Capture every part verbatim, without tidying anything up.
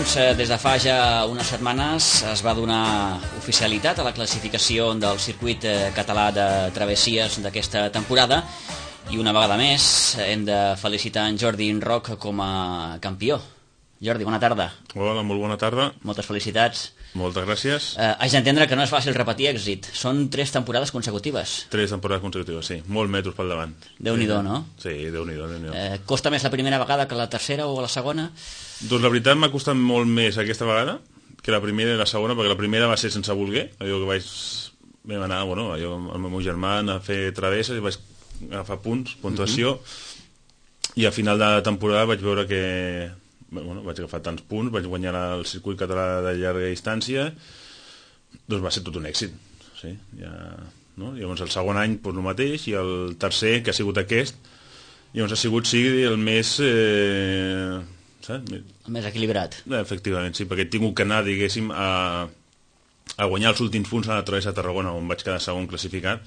doncs, des de fa ja unes setmanes es va donar oficialitat a la classificació del circuit català de travessies d'aquesta temporada i una vegada més hem de felicitar en Jordi Roch com a campió. Jordi, bona tarda. Hola, molt bona tarda. Moltes felicitats. Moltes gràcies. Eh, haig d'entendre que no és fàcil repetir èxit. Són tres temporades consecutives. Tres temporades consecutives, sí. Molt metros pel davant. Déu-n'hi-do, no? Sí, Déu-n'hi-do. Déu eh, costa més la primera vegada que la tercera o la segona? Doncs la veritat m'ha costat molt més aquesta vegada que la primera i la segona, perquè la primera va ser sense voler. Allò que vaig... Vam anar, bueno, allò, amb el meu germà a fer travesses i vaig agafar punts, puntuació, uh-huh. I a final de la temporada vaig veure que... Bueno, vaig agafar tants punts, vaig guanyar el circuit català de llarga distància, doncs va ser tot un èxit, sí, ja, no? Llavors el segon any doncs el mateix, i el tercer, que ha sigut aquest, llavors ha sigut sí, el més eh, saps? El més equilibrat. Efectivament, sí, perquè he tingut que anar, diguéssim, a, a guanyar els últims punts a la travessa de Tarragona, on vaig quedar segon classificat,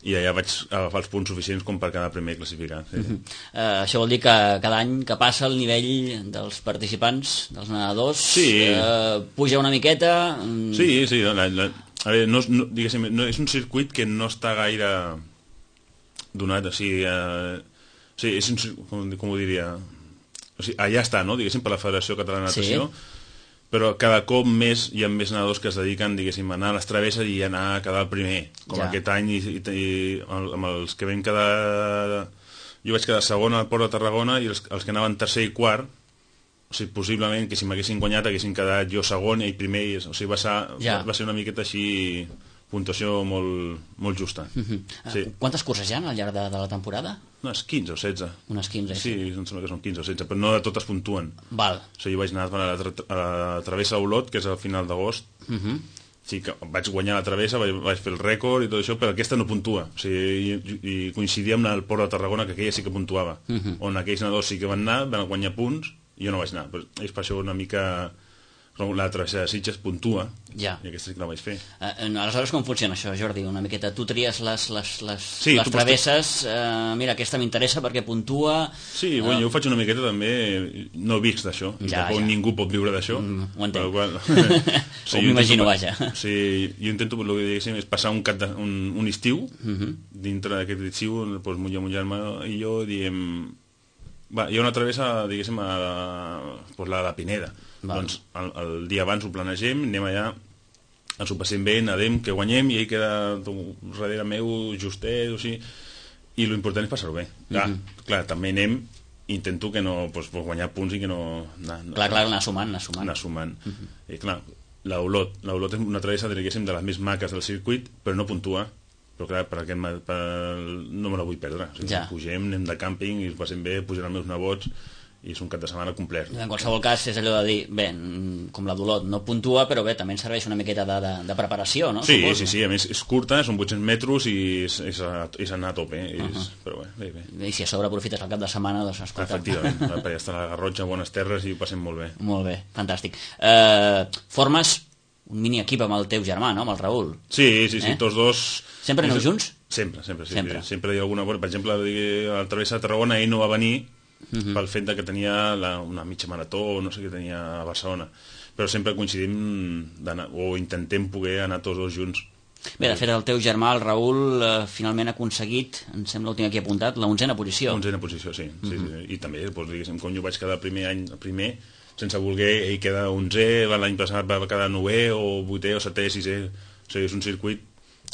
i allà vaig agafar els punts suficients com per quedar primer classificat. Sí. Uh-huh. uh, això vol dir que cada any que passa el nivell dels participants, dels nedadors, sí. uh, puja una miqueta... Um... Sí, sí, la, la, a veure, no, no, diguéssim, no, és un circuit que no està gaire donat, o sigui, uh, o sigui és un, com, com ho diria, o sigui, allà està, no?, diguéssim, per la Federació Catalana de Natació, sí. Però cada cop més hi ha més nedadors que es dediquen, diguéssim, a anar a les travesses i anar a quedar el primer, com ja. Aquest any, i, i, i amb els que vam quedar... Jo vaig quedar segon al Port de Tarragona i els, els que anaven tercer i quart, o sigui, possiblement que si m'haguessin guanyat haguessin quedat jo segon i primer, i, o sigui, va ser, ja. va ser una miqueta així... puntuació molt, molt justa. Uh-huh. Sí. Uh, quantes curses hi ha al llarg de, de la temporada? Unes quinze o setze. Unes quinze, sí. Sí, em sembla que són quinze o setze, però no de totes puntuen. Val. O sigui, jo vaig anar a la, tra a la travessa d'Olot, que és al final d'agost. Uh-huh. Sí, que vaig guanyar la travessa, vaig, vaig fer el rècord i tot això, però aquesta no puntua. O sigui, i, i coincidia amb el Port de Tarragona, que aquella sí que puntuava. Uh-huh. On aquells nedadors sí que van anar, van guanyar punts, i jo no vaig anar. Però és per això una mica... La travessa de Sitges puntua, ja. I aquesta sí que la vaig fer. Uh, aleshores com funciona això, Jordi? Una miqueta, tu tries les, les, les, sí, les travesses, uh, mira, aquesta m'interessa perquè puntua... Sí, uh, bueno, jo ho faig una miqueta també, no visc d'això, ja, tampoc ja. Ningú pot viure d'això. Mm, ho entenc. Qual, sí, ho m'imagino, vaja. Sí, jo intento, el que diguéssim, és passar un, cap de, un, un estiu, uh -huh. Dintre d'aquest estiu, doncs, mon germà i jo diem... Va, hi ha una travessa, diguéssim, a la, doncs la de la Pineda. Val. Doncs el, el dia abans ho planegem, anem allà, ens ho passem bé, nedem, que guanyem, i ell queda darrere meu justet, o sigui, i l'important és passar-ho bé. Clar, mm -hmm. clar, també anem, intento que no, doncs, guanyar punts i que no... Anar, clar, clar, anar sumant, anar sumant. Anar sumant. Mm -hmm. I clar, l'Olot, l'Olot és una travessa, diguéssim, de les més maques del circuit, però no puntua. Però clar, per aquest, per, no me la vull perdre. O sigui, ja. Pugem, anem de càmping i ho passem bé, pugen els meus nebots i és un cap de setmana complet. En qualsevol cas és allò de dir, bé, com la d'Olot no puntua, però bé, també ens serveix una miqueta de, de, de preparació, no? Sí, Suposo. sí, sí, a més és curta, són vuit-cents metres i és, és, a, és anar a tope, és, uh -huh. Però bé, bé, bé. I si a sobre aprofites el cap de setmana, doncs escolta. Efectivament, perquè està la Garrotxa, bones terres i ho passem molt bé. Molt bé, fantàstic. Uh, formes un mini equip amb el teu germà, no?, amb el Raül. Sí, sí, sí, eh? Tots dos... Sempre aneu junts? Sempre, sempre, sí. Sempre. Sempre hi ha alguna... Per exemple, a la travessa de Tarragona ell no va venir uh -huh. pel fet que tenia la, una mitja marató, no sé què tenia a Barcelona. Però sempre coincidim o intentem poder anar tots dos junts. Bé, de fet, el teu germà, el Raül, eh, finalment ha aconseguit, em sembla que ho tinc aquí apuntat, la onzena posició. Onzena posició, sí. Uh -huh. sí, sí. I també, doncs, diguéssim, com jo vaig quedar el primer any, el primer, sense voler, ell queda onzè, l'any passat va quedar novè, o vuitè, o setè, sisè. O sigui, és un circuit...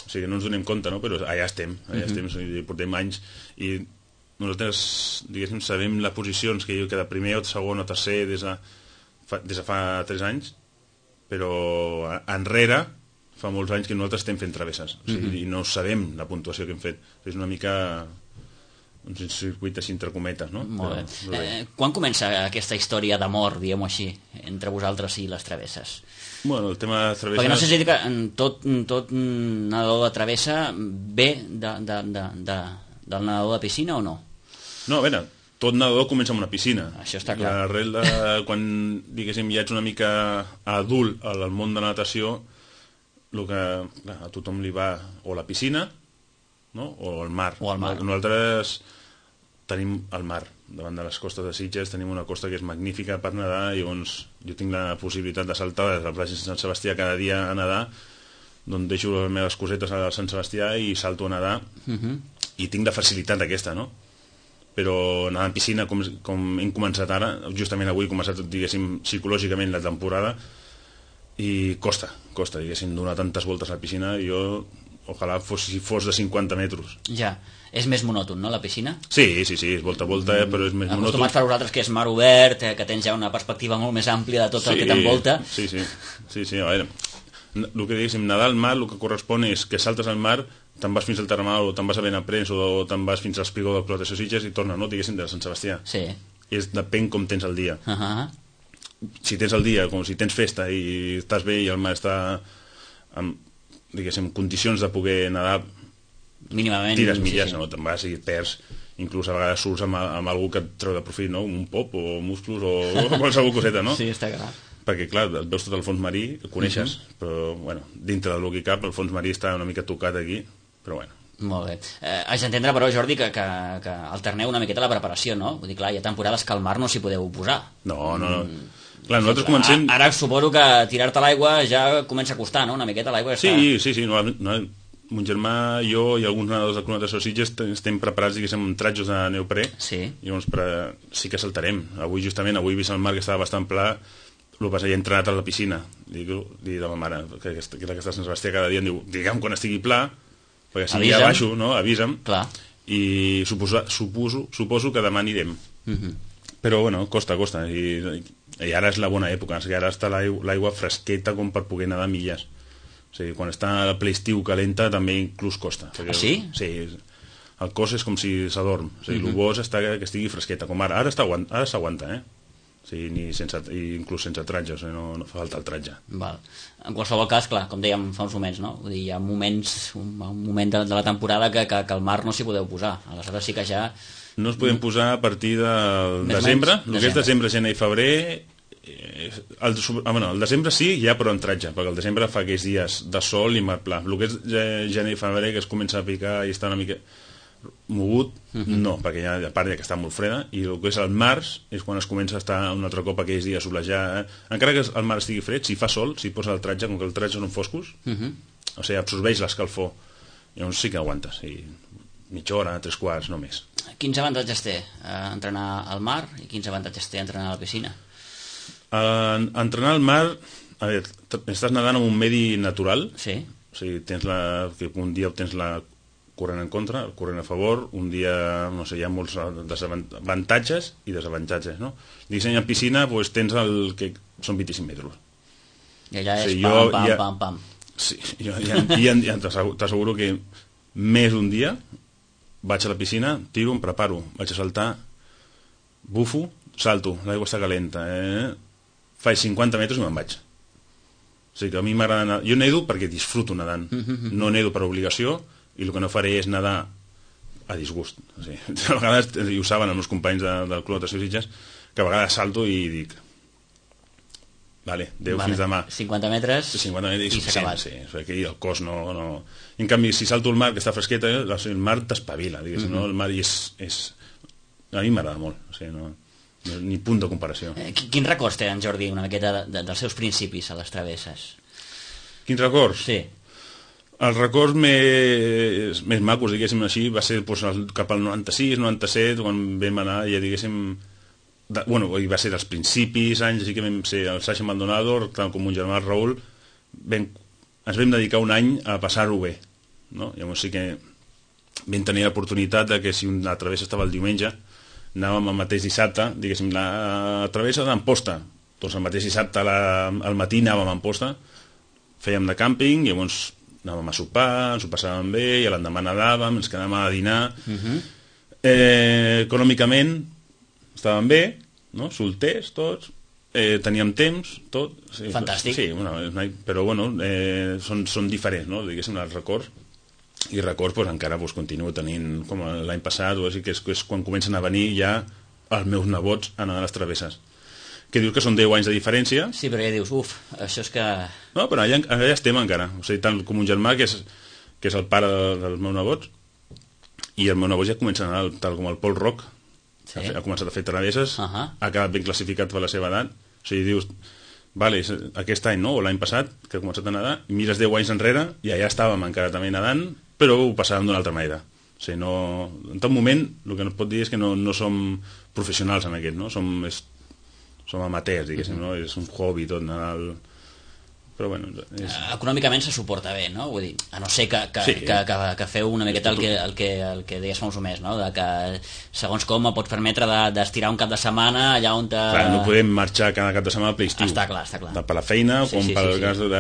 O sigui, no ens donem compte, no? Però allà estem, allà uh-huh. estem, o sigui, portem anys i nosaltres, diguéssim, sabem les posicions que jo queda primer o segon o tercer des de fa, des de fa tres anys, però enrere fa molts anys que nosaltres estem fent travesses, o sigui, uh-huh. i no sabem la puntuació que hem fet. És una mica un circuit així entre cometes, no? Molt bé. Però, eh, quan comença aquesta història d'amor, diguem-ho així, entre vosaltres i les travesses? Bueno, el tema de travesses... Perquè no sé si que tot, tot nedador de travessa ve de, de, de, de, del nedador de piscina o no? No, a veure, tot nedador comença amb una piscina. Això està clar. L'arrel de quan, diguéssim, ja ets una mica adult al món de la natació, el que clar, a tothom li va o la piscina, no? O el mar. O el mar. Nosaltres tenim el mar davant de les costes de Sitges, tenim una costa que és magnífica per nedar, i llavors jo tinc la possibilitat de saltar des de la platja de Sant Sebastià cada dia a nedar, d'on deixo les meves cosetes a Sant Sebastià i salto a nedar, uh-huh. i tinc la facilitat aquesta, no? Però nedar en piscina, com, com hem començat ara, justament avui he començat, diguéssim, psicològicament la temporada, i costa, costa, diguéssim, donar tantes voltes a la piscina. Jo, ojalà fos, si fos de cinquanta metres. Ja, és més monòton, no, la piscina? Sí, sí, sí, és volta a volta, mm, però és més monòton. Acostumat per vosaltres que és mar obert, que tens ja una perspectiva molt més àmplia de tot sí, el que t'envolta. Sí, sí, sí, sí, a veure, el que diguéssim, nedar al mar, el que correspon és que saltes al mar, te'n vas fins al Termenal, o te'n vas a Benaprens, o te'n vas fins al espigó del Clot de Sitges i torna, no, diguéssim, de Sant Sebastià. Sí. És, depèn com tens el dia. Uh-huh. Si tens el dia, com si tens festa i estàs bé i el mar està en, diguéssim, condicions de poder nedar, mínimament, tires milles, sí, sí. no? Te'n vas i perds, inclús a vegades surts amb, amb algú que et treu de profit, no? Un pop o musclos o, o qualsevol coseta, no? Sí, està clar. Perquè, clar, et veus tot el fons marí, el coneixes, uh-huh. però, bueno, dintre del que cap, el fons marí està una mica tocat aquí, però, bueno. Molt bé. Eh, haig d'entendre, però, Jordi, que, que, que alterneu una miqueta la preparació, no? Vull dir, clar, hi ha temporades que al mar no s'hi podeu posar. No, no, no. Mm. Clar, nosaltres comencem... Ara suposo que tirar-te a l'aigua ja comença a costar, no? Una miqueta l'aigua està... Sí, sí, sí. No, no, mon germà, jo i alguns nedadors del Club de Sitges estem preparats, diguéssim, amb tratjos de neoprè. Sí. I llavors pre... sí que saltarem. Avui, justament, avui he vist el mar que estava bastant pla, el que passa, he entrenat a la piscina. Dic, dic a ma mare, que, que, que està a Sant Sebastià cada dia, em diu, digue'm quan estigui pla, perquè si avisa'm. Ja baixo, no? Avisa'm. Clar. I suposo, suposo, suposo que demà anirem. Uh-huh. Però, bueno, costa, costa. I, i ara és la bona època, o sigui, ara està l'aigua fresqueta com per poder nedar milles. O sigui, quan està el ple estiu calenta també inclús costa. Ah, sí? Sí, el cos és com si s'adorm. O sigui, uh-huh. el bo és estar, que estigui fresqueta, com ara. Ara s'aguanta, eh? O sigui, ni sense, inclús sense tratge, o sigui, no, no fa falta el tratge. Val. En qualsevol cas, clar, com dèiem fa uns moments, no? Vull dir, hi ha moments, un, un moment de, de la temporada que, que, que al mar no s'hi podeu posar. Aleshores sí que ja... No ens podem posar a partir del Més desembre. Menys, el que és desembre, gener i febrer... Eh, el, ah, bueno, el desembre sí, ja però en tratge, perquè el desembre fa aquells dies de sol i mar pla. El que és gener i febrer, que es comença a picar i està una mica mogut, uh-huh. no, perquè ja, a part ja que està molt freda, i el que és el març és quan es comença a estar un altre cop aquells dies a solejar. Eh? Encara que el mar estigui fred, si fa sol, si posa el tratge, com que el tratge són foscos, uh-huh. o sigui, absorbeix l'escalfor, llavors sí que aguantes, i mitja hora, tres quarts, no més. Quins avantatges té eh, entrenar al mar i quins avantatges té entrenar a la piscina? Uh, entrenar al mar, a veure, estàs nedant en un medi natural, sí. O sigui, tens la, que un dia tens la corrent en contra, el corrent a favor, un dia, no sé, hi ha molts avantatges i desavantatges, no? Disseny en piscina, doncs tens el que són vint-i-cinc metres. I allà és sí, pam, jo, pam, ja, pam, pam. Sí, jo ja, ja, ja t'asseguro que més un dia vaig a la piscina, tiro, em preparo, vaig a saltar, bufo, salto, l'aigua està calenta, eh? Faig cinquanta metres i me'n vaig. O sigui que a mi m'agrada nedar. Jo nedo perquè disfruto nedant, mm-hmm. no nedo per obligació, i el que no faré és nedar a disgust. O sigui, a vegades, i ho saben els meus companys de, del Club de Sitges, que a vegades salto i dic vale, adéu, vale. Fins demà. cinquanta metres, cinquanta metres i s'ha acabat. Sí, perquè el cos no, no... En canvi, si salto al mar, que està fresqueta, el mar t'espavila, diguéssim, mm-hmm. no? El mar és, és... A mi m'agrada molt, o sigui, no... ni punt de comparació. Eh, quins records té en Jordi una miqueta de, de, dels seus principis a les travesses? Quins records? Sí. Els records més, més macos, diguéssim així, va ser doncs, cap al noranta-sis, noranta-set, quan vam anar, ja diguéssim... De, bueno, va ser dels principis, anys, així que vam ser el Sasha Maldonado, tant com un germà Raül, vam, ens vam dedicar un any a passar-ho bé, no? Llavors sí que vam tenir l'oportunitat de que si una travessa estava el diumenge, anàvem el mateix dissabte, diguéssim, la travessa d'Amposta, doncs el mateix dissabte la, al matí anàvem a Amposta, fèiem de càmping, llavors anàvem a sopar, ens ho passàvem bé, i l'endemà nedàvem, ens quedàvem a dinar. Uh-huh. eh, econòmicament estàvem bé, no? Solters tots, eh, teníem temps, tot. Sí, fantàstic. Sí, bueno, però bueno, eh, són, són diferents, no? Diguéssim, els records. I records pues, encara pues, continuo tenint, com l'any passat, o així, que és, que és quan comencen a venir ja els meus nebots a anar a les travesses. Que dius que són deu anys de diferència. Sí, però ja dius, uf, això és que... No, però allà, allà estem encara. O sigui, tant com un germà, que és, que és el pare de, dels meus nebots, i el meu nebot ja comença a anar tal com el Pol Rock, Sí. Ha, ha començat a fer travesses, uh -huh. ha quedat ben classificat per la seva edat. O sigui, dius, vale, aquest any, no?, o l'any passat, que ha començat a nedar, i mires deu anys enrere, i allà estàvem encara també nedant, però ho passàvem d'una altra manera. O sigui, no... En tot moment, el que no es pot dir és que no, no som professionals en aquest, no? Som, és, som amateurs, diguéssim, uh -huh. no? És un hobby tot, nedar... El... Però bueno, és... Econòmicament se suporta bé, no? Vull dir, a no ser que, que, sí. que, que, que feu una miqueta el que, el que, el que deies fa uns més, no? De que segons com et pots permetre d'estirar de, un cap de setmana allà on te... Clar, no podem marxar cada cap de setmana per l'estiu. Està clar, està clar. Per la feina, sí, com sí, pel sí, cas sí. de... de,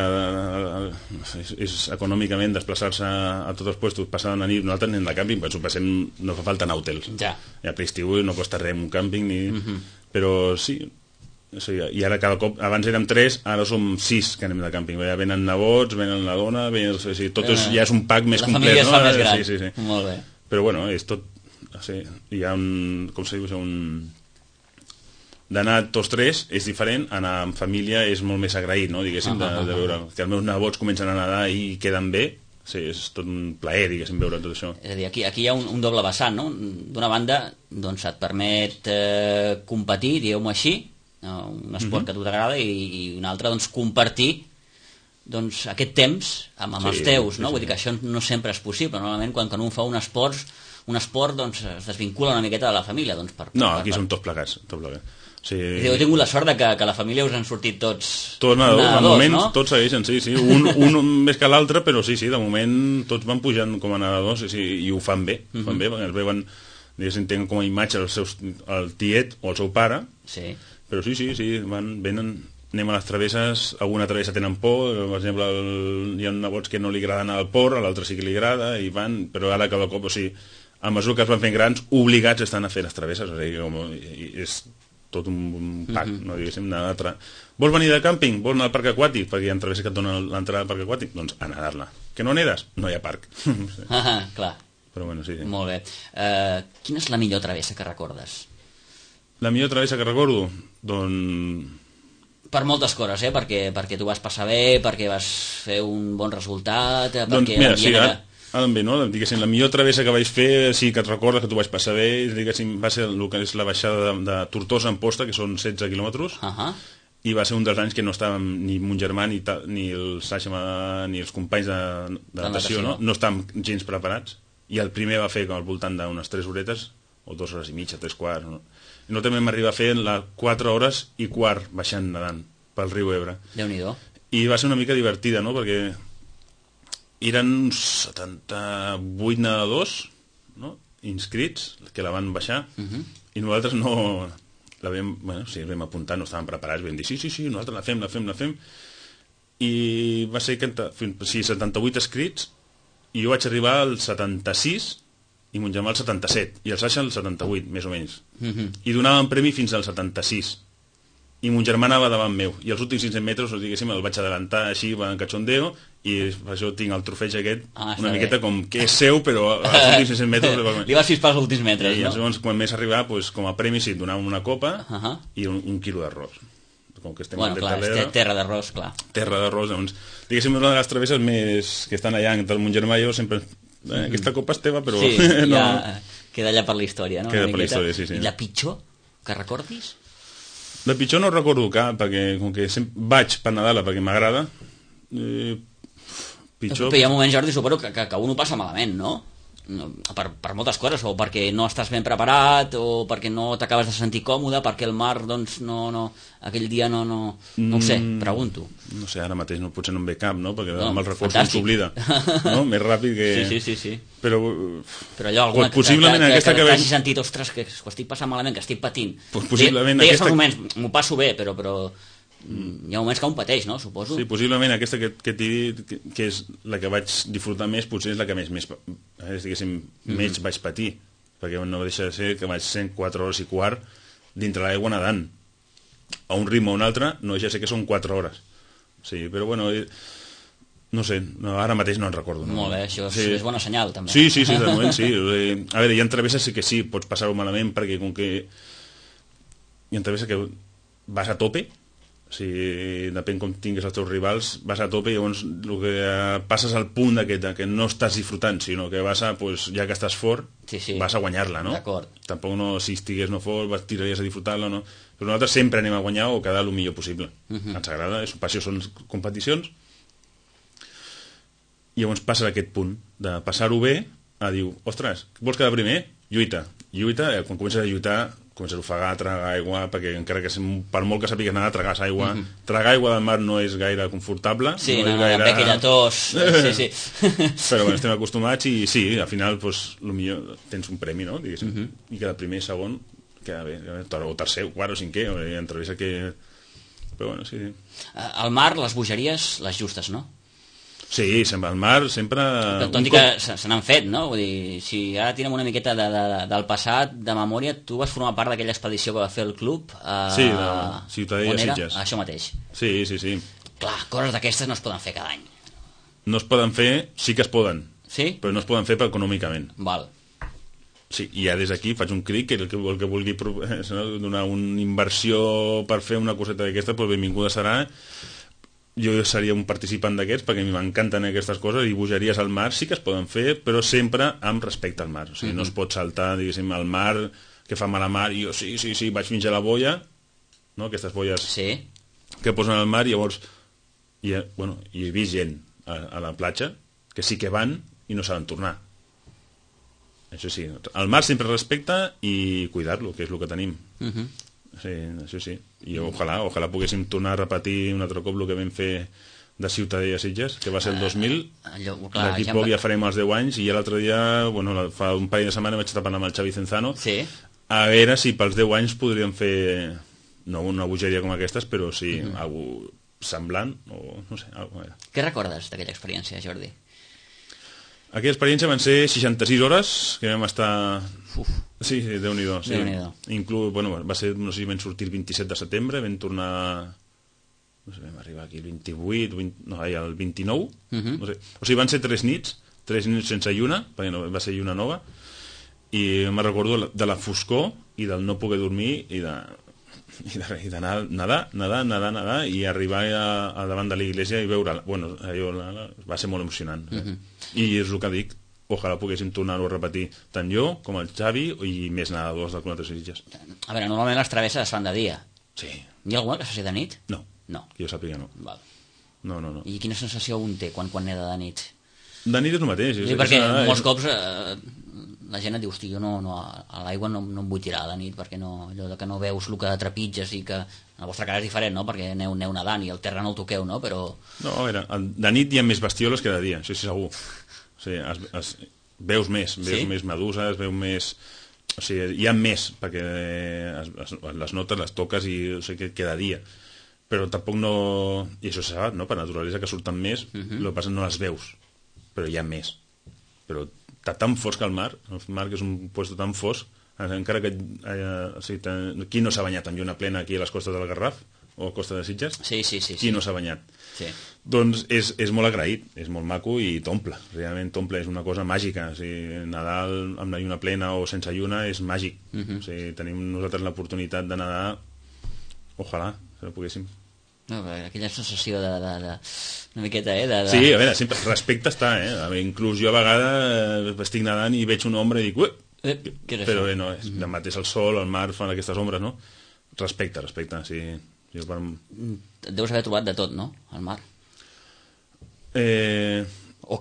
de, de és, és econòmicament desplaçar-se a tots els puestos, passar una nit, nosaltres anem de càmping, però passem, no fa falta anar a hotels. Ja. Ja per l'estiu no costa res un càmping, ni... Uh-huh. però sí... O sigui, i ara cada cop, abans érem tres, ara som sis que anem de càmping. Ja venen nebots, venen la dona, venen, o sigui, tot és, ja és un pack més la complet. La família es no? fa més gran. Sí, sí, sí. Molt bé. Però bueno, és tot... O sigui, hi ha un... Com se diu? Un... D'anar tots tres és diferent, anar amb família és molt més agraït, no? Diguéssim, uh -huh, de, de veure que els meus nebots comencen a nedar i queden bé. Sí, és tot un plaer, diguéssim, veure tot això. És a dir, aquí, aquí hi ha un, un doble vessant, no? D'una banda, doncs et permet eh, competir, digueu-m'ho així, un esport uh-huh. que a tu t'agrada, i, i un altre, doncs, compartir doncs, aquest temps amb, amb sí, els teus, no? Sí, sí. Vull dir que això no sempre és possible. Normalment, quan, quan un fa un esport, un esport doncs, es desvincula una miqueta de la família. Doncs, per, no, per, aquí per... som tots plegats. Tot plegat. Sí. Heu tingut la sort de que, que la família us han sortit tots tots nedadors, de moment no? tots segueixen, sí, sí, un, un més que l'altre, però sí, sí, de moment tots van pujant com a nedadors i, sí, i ho fan bé, ho fan uh-huh. bé, perquè els veuen, diguéssim, tenen com a imatge el, seus, el tiet o el seu pare, sí. Però sí, sí, sí, van, venen, anem a les travesses, alguna travessa tenen por, per exemple, el, hi ha nebots que no li agrada anar al port, a l'altre sí que li agrada, i van, però ara cada cop, o sigui, a mesura que es van fent grans, obligats estan a fer les travesses, o sigui, com, i, és tot un, un pack, uh-huh. no diguéssim, anar a tra... Vols venir de càmping? Vols anar al parc aquàtic? Perquè hi ha travesses que et donen l'entrada al parc aquàtic? Doncs a nedar-la. Que no nedes? No hi ha parc. Sí. Ah, clar. Però bueno, sí, sí. Molt bé. Uh, quina és la millor travessa que recordes? La millor travessa que recordo? Doncs... Per moltes coses, eh? Perquè, perquè tu vas passar bé, perquè vas fer un bon resultat... Doncs mira, sí, ara, ara bé, no? Diguéssim, la millor travessa que vaig fer, sí que et recordes que tu vaig passar bé, diguéssim, va ser el que és la baixada de, de Tortosa a Amposta, que són setze quilòmetres, uh -huh. i va ser un dels anys que no estàvem ni mon germà ni, ta, ni el Sasha ni els companys de, de natació, no? No estàvem gens preparats, i el primer va fer com al voltant d'unes tres horetes, o dues hores i mitja, tres quarts, no? I no també m'arriba a fer les quatre hores i quart baixant nedant pel riu Ebre. Déu-n'hi-do. I va ser una mica divertida, no? Perquè eren uns setanta-vuit nedadors, no? Inscrits, que la van baixar, uh -huh. i nosaltres no... La vam, bueno, sí, vam apuntar, no estàvem preparats, vam dir, sí, sí, sí, nosaltres la fem, la fem, la fem, i va ser que, sí, setanta-vuit escrits, i jo vaig arribar al setanta-sis, i mon germà al setanta-set, i el Sasha al setanta-vuit, més o menys. Uh-huh. I donaven premi fins al setanta-sis. I mon germà anava davant meu, i els últims cinc-cents metres, diguéssim, el vaig adelantar així, en cachondeo, i per això tinc el trofeig aquest, ah, una miqueta bé. Com que és seu, però als últims cinc-cents metres... Li vas fispar als últims metres, I, no? I llavors, quan més arribar, pues, com a premi, sí, donaven una copa uh-huh. i un, un quilo d'arròs. Com que estem bueno, clar, és terra d'arròs, clar. Terra d'arròs, doncs, diguéssim, una de les travesses més que estan allà, entre mon germà i jo, sempre... Eh, aquesta copa és teva, però... Sí, no... ja queda allà per la història, no? Queda per la història, sí, sí. I la pitjor que recordis? La pitjor no recordo cap, perquè com que sempre vaig per Nadal perquè m'agrada. Eh, pitjor... Però hi ha moments, Jordi, suposo que, que, que un ho passa malament, no? Per, per moltes coses, o perquè no estàs ben preparat, o perquè no t'acabes de sentir còmode, perquè el mar, doncs, no, no, aquell dia no, no, no ho sé, pregunto. No sé, ara mateix no, potser no em ve cap, no? Perquè no, amb el record s'oblida, no? Més ràpid que... Sí, sí, sí, sí. Però, però allò, alguna possiblement que, que, aquesta que, que, que hagi sentit, ostres, que ho estic passant malament, que estic patint. Pues possiblement Deies aquesta... moments, m'ho passo bé, però... però hi ha moments que un pateix, no? Suposo. Sí, possiblement aquesta que, que t'he dit, que, que és la que vaig disfrutar més, potser és la que més, més eh, diguéssim, mm-hmm. més vaig patir, perquè no deixa de ser que vaig ser quatre hores i quart dintre l'aigua nedant. A un ritme o un altre, no deixa de ser que són quatre hores. Sí, però bueno, no sé, no, ara mateix no en recordo. No? Molt bé, això sí. és bona senyal, també. Sí, sí, sí, de moment sí. A veure, hi ha travesses sí que sí, pots passar-ho malament, perquè com que hi ha travesses que vas a tope, O sigui, depèn com tinguis els teus rivals, vas a tope i llavors el que passes al punt d'aquest, que no estàs disfrutant, sinó que vas a, pues, ja que estàs fort, sí, sí. vas a guanyar-la, no? D'acord. Tampoc no, si estigués no fort, vas tiraries a disfrutar-la, no? Però nosaltres sempre anem a guanyar o quedar el millor possible. Uh -huh. Ens agrada, és, per això són competicions. I llavors passa aquest punt de passar-ho bé a dir, ostres, vols quedar primer? Lluita. Lluita, eh, quan comences a lluitar comences a ofegar, tragar aigua, perquè encara que per molt que sàpigues nedar, tragues aigua. Mm -hmm. Tragar aigua del mar no és gaire confortable. Sí, no, no, és no, gaire... amb aquella tos. Sí, sí. Però bueno, estem acostumats i sí, al final, pues, millor tens un premi, no? Diguéssim. Mm -hmm. I cada primer, segon, queda bé. O tercer, o quart, o cinquè, o entrevista que... Però bueno, sí, sí. Al mar, les bogeries, les justes, no? Sí, sempre al mar, sempre... Tot i que se n'han fet, no? Vull dir, si ara tirem una miqueta de, de, del passat, de memòria, tu vas formar part d'aquella expedició que va fer el club. Eh, sí, de Ciutadella Sitges. Això mateix. Sí, sí, sí. Clar, coses d'aquestes no es poden fer cada any. No es poden fer, sí que es poden. Sí? Però no es poden fer per econòmicament. Val. Sí, i ja des d'aquí faig un cric que el que, el que vulgui donar una inversió per fer una coseta d'aquesta, doncs benvinguda serà. Jo seria un participant d'aquests perquè a mi m'encanten aquestes coses i bogeries al mar sí que es poden fer, però sempre amb respecte al mar. O sigui, mm-hmm. no es pot saltar, diguéssim, al mar que fa mal a mar i jo sí, sí, sí, vaig fins a la boia, no? Aquestes boies sí. que posen al mar i llavors i, bueno, i he vist gent a, a la platja que sí que van i no saben tornar. Això sí, al mar sempre respecte i cuidar-lo, que és el que tenim. Mm-hmm. Sí, això sí. I ojalà, ojalà poguéssim tornar a repetir un altre cop el que vam fer de Ciutadella Sitges, que va ser el dos mil. D'aquí ja poc ja farem els deu anys i ja l'altre dia, bueno, fa un parell de setmanes vaig estar parlant amb el Xavi Cenzano sí. a veure si pels deu anys podríem fer no una bogeria com aquestes, però sí, mm-hmm. algo semblant o no sé, algo era. Què recordes d'aquella experiència, Jordi? Aquella experiència van ser seixanta-sis hores que vam estar... Uf. Sí, sí, Déu-n'hi-do. Sí. Déu-n'hi-do. Inclús, bueno, va ser, no sé si vam sortir el vint-i-set de setembre, vam tornar... No sé, vam arribar aquí el vint-i-vuit, vint, no, el vint-i-nou, uh-huh. no sé. O sigui, van ser tres nits, tres nits sense lluna, perquè no, va ser lluna nova, i me recordo de la foscor i del no poder dormir i de... i de, i de nadar, nadar, nadar, nadar, nadar i arribar a, a davant de l'església i veure, bueno, allò la, la, va ser molt emocionant. Uh-huh. I és el que dic, ojalà poguéssim tornar-ho a repetir tant jo com el Xavi i més nedadors del Club de Sitges. A veure, normalment les travesses es fan de dia. Sí. Hi ha alguna que se faci de nit? No, no. que jo sàpiga no. Val. No, no, no. I quina sensació un té quan, quan neda de nit? De nit és el mateix. Sí, perquè molts cops eh, la gent et diu, hosti, jo no, no, a l'aigua no, no em vull tirar de nit perquè no, allò de que no veus el que trepitges i que en el vostre cas és diferent, no? Perquè aneu, aneu nedant i el terra no el toqueu, no? Però... No, a veure, de nit hi ha més bestioles que de dia, això sí segur. O sigui, es, es, veus més, veus sí? més meduses, veus més... O sigui, hi ha més, perquè es, es, les notes les toques i o sigui, que queda dia. Però tampoc no... I això se sap, no? Per naturalesa que surten més, uh-huh. el que passa no les veus, però hi ha més. Però està tan fosc que el mar, el mar que és un lloc tan fosc, encara que eh, o sigui, ten, qui no s'ha banyat amb lluna plena aquí a les costes del Garraf o a Costa de Sitges? Sí, sí, sí. Qui sí. no s'ha banyat? Sí. Doncs és, és molt agraït, és molt maco i t'omple, realment t'omple, és una cosa màgica, o sigui, nedar amb la lluna plena o sense lluna és màgic. Uh-huh. O sigui, tenim nosaltres l'oportunitat de nedar, ojalà, si no poguéssim. No, aquella sensació de, de, de una miqueta, eh? De, de... Sí, a veure, sempre, respecte està, eh? A veure, inclús jo a vegades estic nedant i veig una ombra i dic, ué! Eh, però bé, no, és, mm-hmm. demà és el sol, el mar fan aquestes ombres, no? Respecte, respecte, sí. Jo per... Et deus haver trobat de tot, no?, al mar. Eh...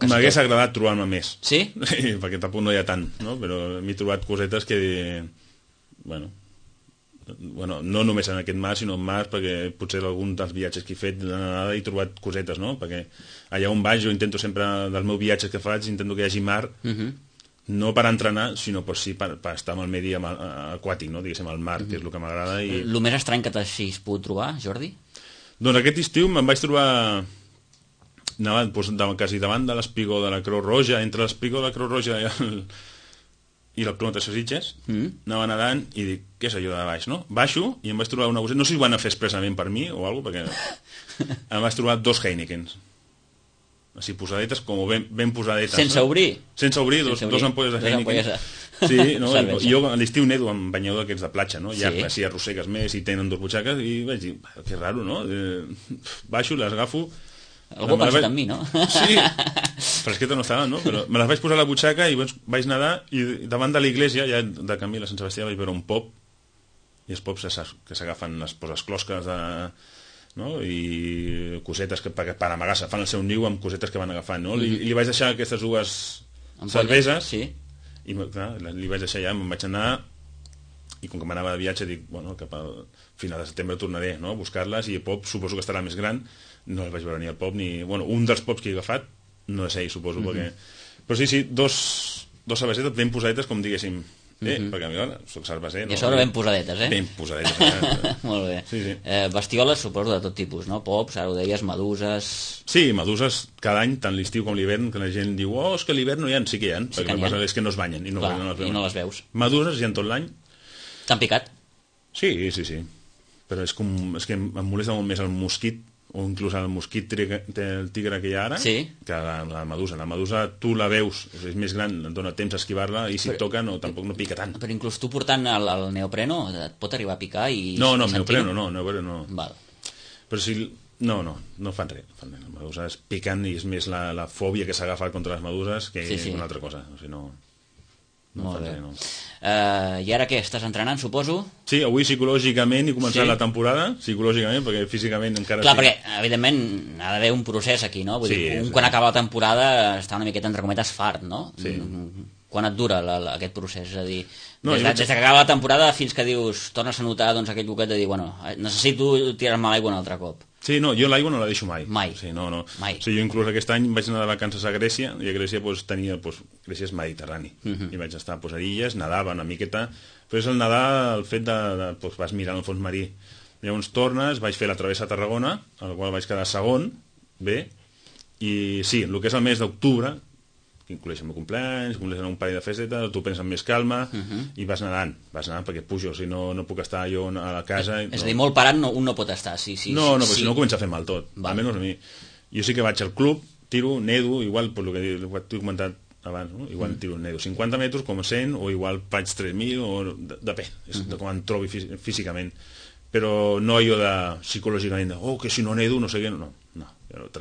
M'hagués agradat trobar-me més. Sí? Perquè tampoc no hi ha tant, no? Però m'he trobat cosetes que... Bueno... Bueno, no només en aquest mar, sinó en mar, perquè potser algun dels viatges que he fet de nedada he trobat cosetes, no? Perquè allà on vaig jo intento sempre, dels meus viatges que faig, intento que hi hagi mar, uh-huh. no per entrenar, sinó per, sí, per, per estar amb el medi aquàtic, no? Diguéssim, el mar, uh-huh. que és el que m'agrada. I... El més estrany que t'hagis pogut trobar, Jordi? Doncs aquest estiu me'n vaig trobar anava, doncs, quasi davant de l'espigó de la Creu Roja, entre l'espigó de la Creu Roja i el... i el Club de Sitges, mm. anava nedant i dic, què és allò de baix, no? Baixo i em vaig trobar una botella, no sé si ho van a fer expressament per mi o alguna cosa, perquè em vaig trobar dos Heinekens. Així, posadetes, com ben, ben posadetes. Sense no? obrir? Sense obrir, dos, Sense obrir. dos ampolles de Heineken. Sí, no? Cervesa. Jo a l'estiu nedo amb banyador d'aquests de platja, no? Ja Sí. si arrossegues més i tenen dues butxaques i vaig dir, que raro, no? Eh, baixo, les agafo... Algú ha pensat vaig... en mi, no? Sí, fresqueta no estava, no? Però me les vaig posar a la butxaca i vaig nedar i davant de l'església, ja de camí a la Sant Sebastià, vaig veure un pop i els pops que s'agafen les, les closques de, no? I cosetes que per, per amagar-se, fan el seu niu amb cosetes que van agafant, no? I, i li vaig deixar aquestes dues cerveses, sí. i clar, li vaig deixar allà, me'n vaig anar i com que m'anava de viatge dic, bueno, cap al final de setembre tornaré, no? A buscar-les i el pop suposo que estarà més gran, no el vaig veure ni el pop ni... Bueno, un dels pops que he agafat no és ell, suposo, mm-hmm. perquè... Però sí, sí, dos, dos cervesetes ben posadetes, com diguéssim. Eh, mm-hmm. perquè a mi, ara, soc cerveser... No? I a sobre ben posadetes, eh? Ben posadetes. Eh? Molt bé. Sí, sí. Eh, bestioles, suposo, de tot tipus, no? Pops, ara ho deies, meduses... Sí, meduses cada any, tant l'estiu com l'hivern, que la gent diu, oh, és que a l'hivern no hi ha, sí que hi ha, sí perquè el que passa és que no es banyen i no, Clar, no, les i no les veus. Meduses hi ha tot l'any. T'han picat? Sí, sí, sí. Però és, com, és que em molesta molt més el mosquit, o inclús el mosquit tigre, el tigre que hi ha ara, sí. que la, la medusa. La medusa tu la veus, és més gran, et dona temps a esquivar-la i si però, et toca no, tampoc no pica tant. Però inclús tu portant el, el neopreno et pot arribar a picar i... No, no, neopreno no, neopreno no. Val. Però si... No, no, no fan res. Fan res. Les meduses piquen i és més la, la fòbia que s'ha agafat contra les meduses que sí, sí. una altra cosa. O sigui, no... No Molt bé. Res, no. Uh, I ara què? Estàs entrenant, suposo? Sí, avui psicològicament he començat sí. la temporada, psicològicament, perquè físicament encara... Clar, sí. perquè, evidentment, ha d'haver un procés aquí, no? Vull sí, dir, un sí. quan acaba la temporada està una miqueta, entre cometes, fart, no? Sí. Quan et dura la, la, aquest procés? És a dir, no, des, de, vaig... des que acaba la temporada fins que dius, tornes a notar doncs, aquell boquet de dir, bueno, necessito tirar-me l'aigua un altre cop. Sí, no, jo l'aigua no la deixo mai. Mai. Sí, no, no. Mai. O sigui, jo inclús aquest any vaig anar de vacances a Grècia i a Grècia pues, tenia, pues, Grècia és mediterrani. Uh -huh. I vaig estar pues, a illes, nedava una miqueta, però és el nedar el fet de, de pues, vas mirant el fons marí. Llavors tornes, vaig fer la travessa a Tarragona, al qual vaig quedar segon, bé, i sí, el que és el mes d'octubre, que inclueix el meu compleanys, compleix un parell de festetes, tu penses amb més calma, uh -huh. i vas nedant, vas nedant perquè pujo, si no, no puc estar jo a la casa... És no. a dir, molt parat no, un no pot estar, sí, sí. No, no, sí. però si no comença a fer mal tot, Va. almenys a mi. Jo sí que vaig al club, tiro, nedo, igual, per lo que t'he comentat abans, no? Igual mm. tiro, nedo cinquanta metres com cent, o igual faig tres mil, o depèn, és mm -hmm. de com em trobi físicament. Però no jo de psicològicament, de, oh, que si no nedo, no sé què, no, no,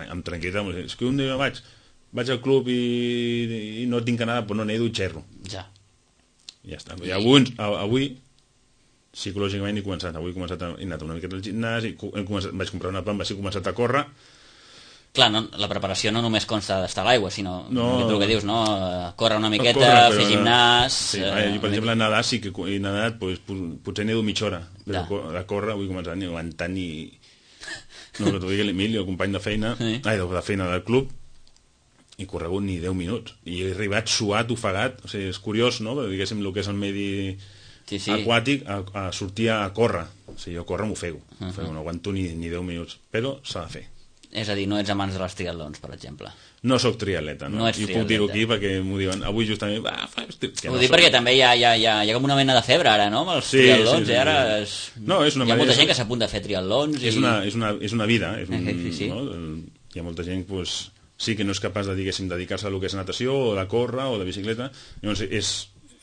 amb tranquil·litat, és que un dia vaig, vaig al club i, i no tinc anada, però no nedo i xerro. Ja. Ja està. I avui, avui psicològicament he començat, avui he començat a, he anat una miqueta al gimnàs, i he començat, vaig comprar una pamba, he començat a córrer. Clar, no, la preparació no només consta d'estar a l'aigua, sinó no, el que dius, no? Córrer una miqueta, córrer, fer gimnàs... Sí, eh, jo, per exemple, a nedar sí que he nedat, pues, potser nedo mitja hora, però a córrer avui he començat ni aguantant ni... No, que t'ho digui l'Emili, el company de feina, sí. ai, de feina del club, i corregut ni deu minuts. I he arribat suat, ofegat, o sigui, és curiós, no?, perquè diguéssim el que és el medi sí, sí. aquàtic, a, a sortir a córrer. O sigui, jo córrer m'ofego, uh -huh. no aguanto ni, ni deu minuts, però s'ha de fer. És a dir, no ets amants de les triatlons, per exemple. No sóc triatleta, no? no ets I triatleta. puc dir-ho aquí perquè m'ho diuen. Avui justament... Va, fa... Ho no dic perquè també hi ha, hi, ha, hi, ha, hi ha com una mena de febre ara, no? Amb els sí, triatlons, sí, sí, i ara... És... No, és una hi ha molta és... gent que s'apunta a fer triatlons i... És una, és una, és una vida, és un, sí, sí. no? Hi ha molta gent, pues, sí que no és capaç de, diguéssim, dedicar-se a lo que és natació, o de córrer, o de bicicleta, llavors és,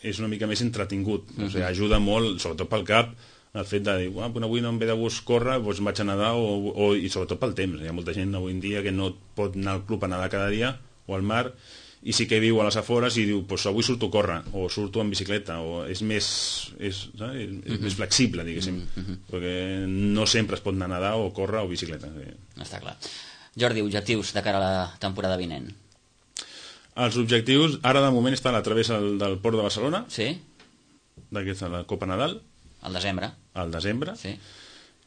és una mica més entretingut, uh -huh. O sigui, ajuda molt, sobretot pel cap, el fet de dir, ah, avui no em ve de gust córrer, doncs vaig a nedar, o, o, i sobretot pel temps. Hi ha molta gent avui en dia que no pot anar al club a nedar cada dia, o al mar, i sí que viu a les afores i diu, pues avui surto a córrer, o surto en bicicleta, o és més, és, saps? És, és més flexible, diguéssim, uh -huh. perquè no sempre es pot anar a nedar, o córrer, o bicicleta. Està clar. Jordi, objectius de cara a la temporada vinent? Els objectius, ara de moment està a la travessa del, del Port de Barcelona, sí, d'aquesta, la Copa Nadal, al desembre. Al desembre. Sí.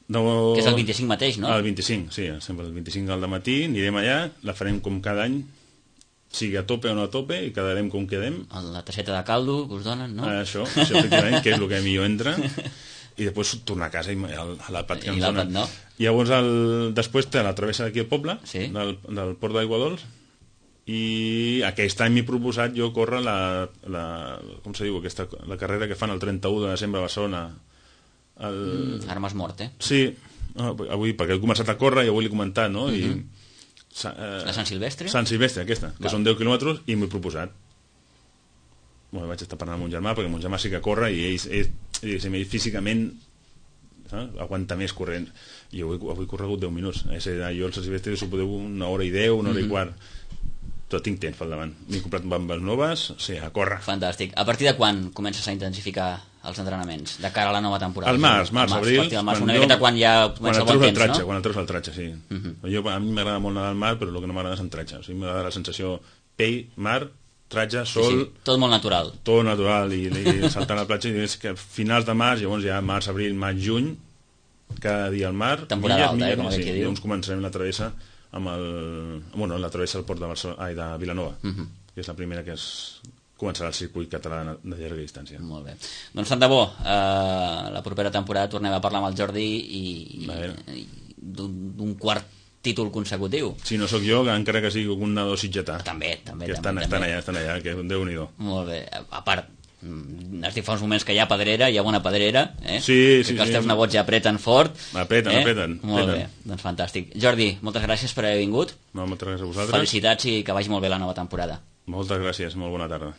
No... Que és el vint-i-cinc mateix, no? El vint-i-cinc, sí, sempre el vint-i-cinc al matí, anirem allà, la farem com cada any, sigui a tope o no a tope, i quedarem com quedem. La tasseta de caldo que us donen, no? Això, això efectivament, que és el que millor entra, i després tornar a casa i a l'àpat que ens donen. No? I llavors, el, després té la travessa d'aquí al poble, sí. del, del Port d'Aigua Dols, i aquest any m'he proposat jo córrer la, la, com se diu, aquesta, la carrera que fan el trenta-u de desembre a Barcelona. El... Mm, ara m'has mort, eh? Sí, avui, perquè he començat a córrer i avui l'he comentat, no? I, mm -hmm. eh, la Sant Silvestre? Sant Silvestre, aquesta, que Val. Són deu quilòmetres i m'he proposat. bueno, vaig estar parlant amb mon germà, perquè mon germà sí que corre i ell, ell, ell, ell físicament eh, aguanta més corrent. I avui, avui he corregut deu minuts. Eh? Jo els silvestres ho podeu una hora i deu, una hora mm-hmm. i quart. Tot tinc temps pel davant. M'he comprat bambes noves, sí, a córrer. Fantàstic. A partir de quan comences a intensificar els entrenaments de cara a la nova temporada? Al març, març, abril. Al març, una miqueta quan ja comença el bon temps, tratge, no? Quan el treus al tratge, sí. Uh-huh. Jo, a mi m'agrada molt anar al mar, però el que no m'agrada és en tratge. O sigui, m'agrada la sensació pell, mar, tratge, sol... Sí, sí. Tot molt natural. Tot natural, i, i saltant a la platja, i és que finals de març, llavors ja març, abril, maig, juny, cada dia al mar, temporada alta, eh, com sí, aquí diu. Llavors començarem la travessa amb el... Bueno, la travessa al port de, Barcelona, ai, de Vilanova, uh-huh. que és la primera que és... començarà el circuit català de llarga distància. Molt bé. Doncs tant de bo, eh, la propera temporada tornem a parlar amb el Jordi i, i d'un quart títol consecutiu. Si no sóc jo, encara que sigui un nadó sitgetà. També, també. Que estan, també, estan també. allà, estan allà, que Déu-n'hi-do. Molt bé. A part, has dit fa uns moments que hi ha pedrera, hi ha bona pedrera, eh? Sí, sí, que els sí. teus nebots ja apreten fort. Apreten, eh? apreten. Molt apreten. bé, doncs fantàstic. Jordi, moltes gràcies per haver vingut. No, moltes gràcies a vosaltres. Felicitats i que vagi molt bé la nova temporada. Moltes gràcies, molt bona tarda.